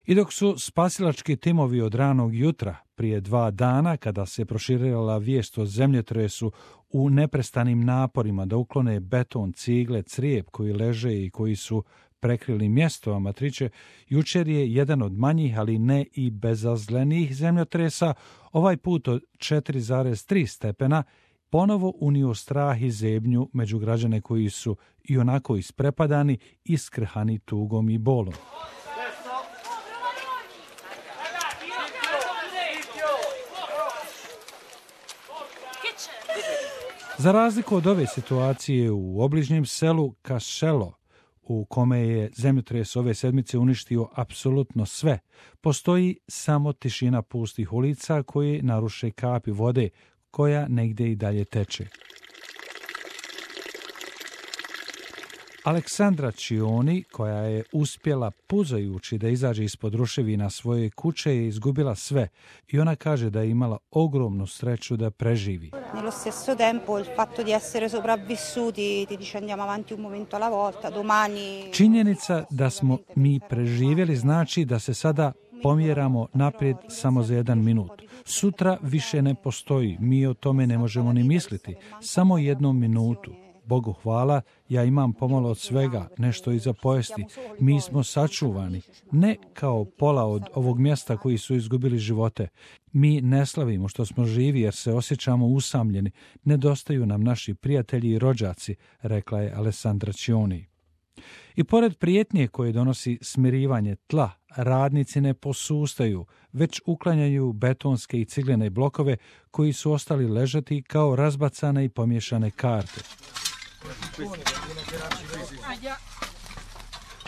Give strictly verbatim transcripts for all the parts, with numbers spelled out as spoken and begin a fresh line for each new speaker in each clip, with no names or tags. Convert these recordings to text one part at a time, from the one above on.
I dok su spasilački timovi od ranog jutra, prije dva dana, kada se proširila vijest o zemljotresu, u neprestanim naporima da uklone beton, cigle, crijep koji leže i koji su prekrili mjesto Amatriće, jučer je jedan od manjih, ali ne i bezazlenih zemljotresa, ovaj put od četiri zarez tri stepena, ponovo unio strah i zebnju među građane koji su i onako isprepadani, iskrhani tugom i bolom. Za razliku od ove situacije u obližnjem selu Cascello, u kome je zemljotres ove sedmice uništio apsolutno sve, postoji samo tišina pustih ulica koje naruše kapi vode koja negdje i dalje teče. Aleksandra Cioni, koja je uspjela puzajući da izađe ispod ruševina svoje kuće, je izgubila sve i ona kaže da je imala ogromnu sreću da preživi.
Nello stesso tempo il fatto di essere sopravvissuti ti dice andiamo avanti un momento alla volta, domani.
Činjenica da smo mi preživjeli znači da se sada pomjeramo naprijed samo za jedan minut. Sutra više ne postoji, mi o tome ne možemo ni misliti, samo jednu minutu. Bogu hvala, ja imam pomalo od svega, nešto i za pojesti. Mi smo sačuvani, ne kao pola od ovog mjesta koji su izgubili živote. Mi ne slavimo što smo živi jer se osjećamo usamljeni. Nedostaju nam naši prijatelji i rođaci, rekla je Alessandra Cioni. I pored prijetnje koje donosi smirivanje tla, radnici ne posustaju, već uklanjaju betonske i ciglene blokove koji su ostali ležati kao razbacane i pomiješane karte.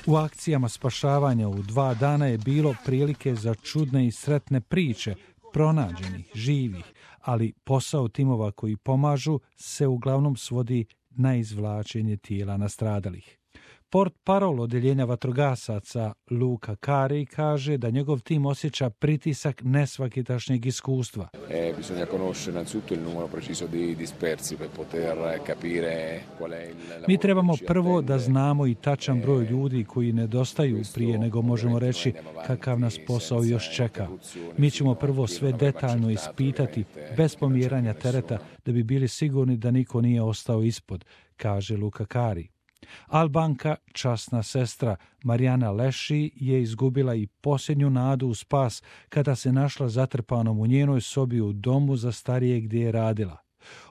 U akcijama spašavanja u dva dana je bilo prilike za čudne i sretne priče, pronađenih, živih, ali posao timova koji pomažu se uglavnom svodi na izvlačenje tijela nastradalih. Port parol odjeljenja vatrogasaca Luca Cari kaže da njegov tim osjeća pritisak nesvakitašnjeg iskustva.
E, bisogna conoscere innanzitutto il numero preciso di dispersi per poter capire qual è il lavoro.
Mi trebamo prvo da znamo i tačan broj ljudi koji nedostaju prije nego možemo reći kakav nas posao još čeka. Mi ćemo prvo sve detaljno ispitati bez pomjeranja tereta da bi bili sigurni da niko nije ostao ispod, kaže Luca Cari. Albanka, časna sestra Marijana Leši, je izgubila i posljednju nadu u spas kada se našla zatrpanom u njenoj sobi u domu za starije gdje je radila.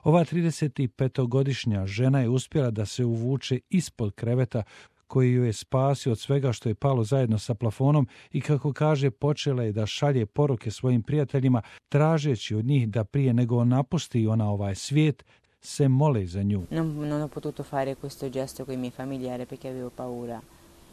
Ova tridesetpetogodišnja žena je uspjela da se uvuče ispod kreveta koji ju je spasio od svega što je palo zajedno sa plafonom i, kako kaže, počela je da šalje poruke svojim prijateljima tražeći od njih da prije nego napusti ona ovaj svijet se mole za nju.
Non, non ho potuto fare questo gesto con i miei familiari perché avevo paura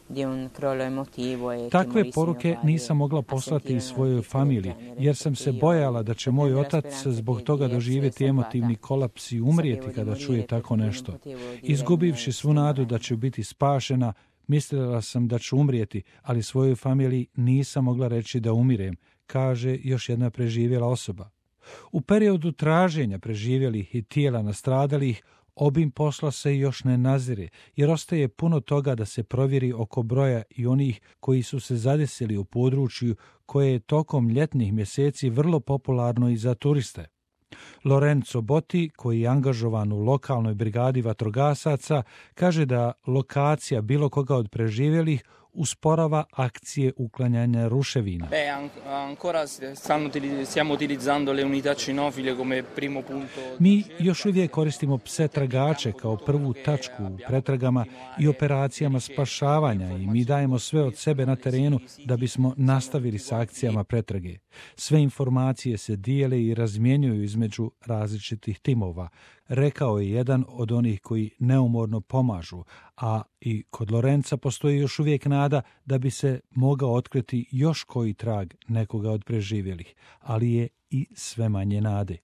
di un crollo emotivo e
Takve poruke nisam mogla poslati svojoj familiji jer sam se bojala da će moj otac zbog toga doživjeti emotivni kolaps i umrijeti kada čuje tako nešto. Izgubivši svu nadu da će biti spašena, mislila sam da ću umrijeti, ali svojoj familiji nisam mogla reći da umirem, kaže još jedna preživjela osoba. U periodu traženja preživjelih i tijela nastradalih, obim posla se još ne nazire, jer ostaje puno toga da se provjeri oko broja i onih koji su se zadesili u području koje je tokom ljetnih mjeseci vrlo popularno i za turiste. Lorenzo Botti, koji je angažovan u lokalnoj brigadi vatrogasaca, kaže da lokacija bilo koga od preživjelih usporava akcije uklanjanja ruševina.
Beh, ancora stanno stiamo utilizzando le unità cinofile come primo punto.
Mi još uvijek koristimo pse tragače kao prvu tačku u pretragama i operacijama spašavanja i mi dajemo sve od sebe na terenu da bismo nastavili s akcijama pretrage. Sve informacije se dijele i razmjenjuju između različitih timova, rekao je jedan od onih koji neumorno pomažu, a i kod Lorenza postoji još uvijek nada da bi se mogao otkriti još koji trag nekoga od preživjelih, ali je i sve manje nade.